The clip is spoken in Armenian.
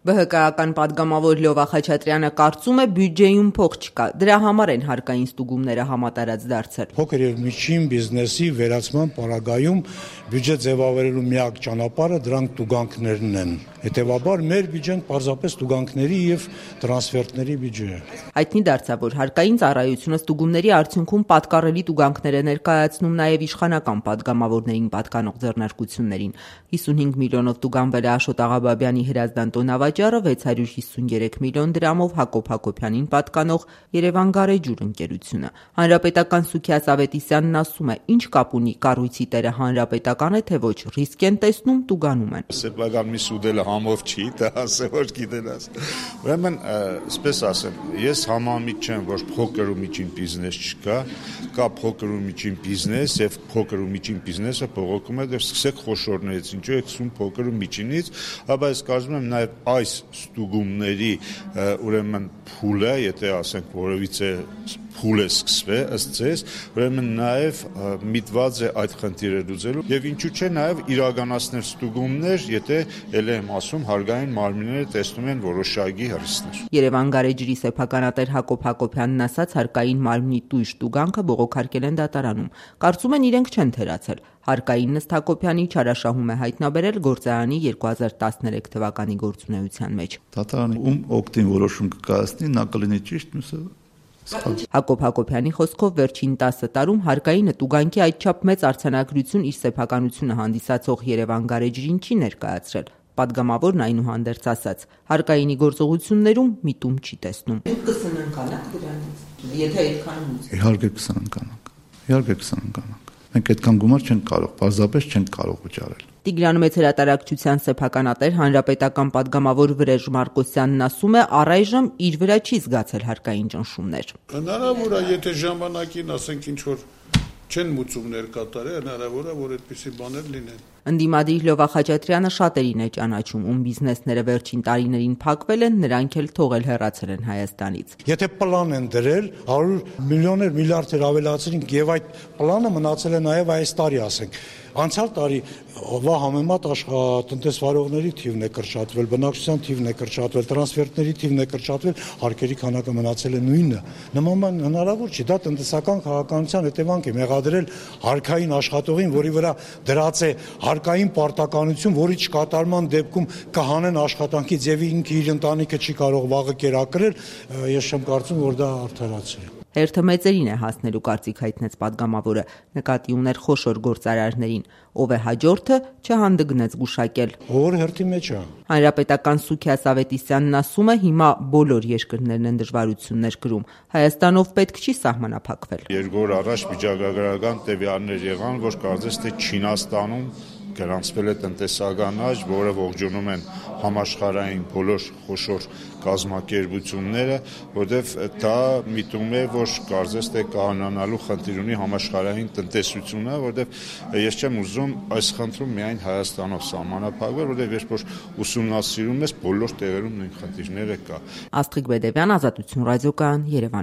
ԲՀԿ-ական պատգամավոր Լյովա Խաչատրյանը կարծում է բյուջեում փող չկա, դրա համար են հարկային ստուգումները համատարած դարձել։ Փոքր եւ միջին բիզնեսի վերացման պարագայում բյուջե ձևավորելու միակ ճանապարհը դրանք տուգանքներն են։ Հետևաբար մեր բյուջեն պարզապես տուգանքների եւ տրանսֆերտների բյուջե է։ Հայտնի դարձավ, որ հարկային ծառայությունը ստուգումների արդյունքում պատկառելի տուգանքներ է ներկայացնում նաև իշխանական պատգամավորներին պատկանող ձեռնարկություններին։ 55 միլիոնով տուգանվել է Աշոտ Աղաբաբյանի Հրազդան տոնավաճառը, 653 միլիոն դրամով Հակոբ Հակոբյանին պատկանող Երևան Գարեջուր ընկերությունը։ Հանրապետական Սուքիաս Ավետիսյանն ասում է, ինչ կապ ունի կառույցի տերը հանրապետական է, թե ոչ, ռիսկ են տեսնում, տուգանում են։ Սեփական մի սուդելը համով չի, դա ասել որ գիտենաս։ Ուրեմն, այսպես ասեմ, ես համամիտ չեմ, որ փոքր ու միջին բիզնես չկա, կա փոքր ու միջին բիզնես եւ փոքր ու միջին բիզնեսը բողոքում է, դեռ սկսեք խոշորներից, ինչու է սկսում փոքր ու միջինից, հաբա ես կարծում եմ նաեւ այս ստուգումների ուրեմն փուլը, եթե ասենք որևիցե փուլ է սկսվել, ըստ ձեզ, ուրեմն նաև միտված է այդ խնդիրը լուծելու եւ ինչու՞ չէ նաև իրականացնել ստուգումներ, եթե ել եմ ասում հարգային մարմինները տեսնում են որոշակի հրիսկներ։ Երևան Գարեջրի սեփականատեր Հակոբ Հակոբյանն ասաց, հարկային մարմնի տույժ տուգանքը բողոքարկել են դատարանում։ Կարծում են իրենք չեն թերացել։ Հարկային Նստ Հակոբյանի չարաշահում է հայտնաբերել գործարանի 2013 թվականի գործունեության մեջ։ Դատարանը ում օգտին որոշում կկայացնի, նա կլինի ճիշտ, մյուսը Հակոբ Հակոբյանի խոսքով վերջին 10 տարում հարկայինը տուգանքի այդչափ մեծ արձանագրություն իր սեփականությունը հանդիսացող Երևան Գարեջրին չի ներկայացրել։ Պատգամավորն այնուհանդերձ ասաց, հարկայինի գործողություններում միտում չի տեսնում։ Դուք կսննկանաք դրանից, եթե այդքան ուզում։ Իհարկե կսննկանանք։ Մենք այդքան գումար չենք կարող, պարզապես չենք կարող վճարել։ Տիգրան Մեծ հրատարակչության սեփականատեր հանրապետական պատգամավոր Վրեժ Մարկոսյանն ասում է, առայժմ իր վրա չի զգացել հարկային ճնշումներ։ Հնարավոր է, եթե ժամանակին ասենք ինչ որ չեն մուծումներ կատարել, հնարավոր է, որ այդպիսի բաներ լինեն։ Ընդդիմադիր Լյովա Խաչատրյանը շատերին է ճանաչում, ում բիզնեսները վերջին տարիներին փակվել են, նրանք էլ թողել հեռացել են Հայաստանից։ Եթե պլան են դրել, 100 միլիոններ, միլիարդեր ավելացրինք եւ այդ պլանը մնացել է նաեւ այս տարի, ասենք։ Անցյալ տարի համեմատ տնտեսվարողների թիվն է կրճատվել, բնակչության թիվն է կրճատվել, տրանսֆերտների թիվն է կրճատվել, հարկերի քանակը մնացել է նույնը։ Նման հնարավոր չի, դա տնտեսական քաղաքականության հետևանք է, մեղադրել հարկային աշխատողին, որի վրա դրած է հարկային պարտականություն, որի չկատարման դեպքում կհանեն աշխատանքից եւ ինքը իր ընտանիքը չի կարող վաղը կերակրել, ես չեմ կարծում, որ դա արդարացի է։ Հերթը մեծերին է հասնելու կարծիք հայտնեց պատգամավորը, նկատի ուներ խոշոր գործարարներին, ով է հաջորդը չհանդգնեց գուշակել։ Որ հերթի մեջ է։ Հանրապետական Սուքիաս Ավետիսյանն ասում է, հիմա բոլոր երկրներն են դժվարություններ կրում, Հայաստանով պետք չի սահմանափակվել։ Երկու օր առաջ վիճակագրական տվյալներ եղան, որ կարծես թե Չինաստանում գրանցվել է տնտեսական աճ, որը ողջունում են համաշխարհային բոլոր խոշոր կազմակերպությունները, որտեղ դա միտում է, որ կարծես թե կհանանալու խնդիր ունի համաշխարհային տնտեսությունը, որտեղ ես չեմ ուզում այս խնդրում միայն Հայաստանով սահմանափակվել, որտեղ երբ որ ուսումնասիրում ես, բոլոր տեղերում նույն խնդիրները կա։ Աստղիկ Բեդևյան, Ազատություն ռադիոկայան, Երևան։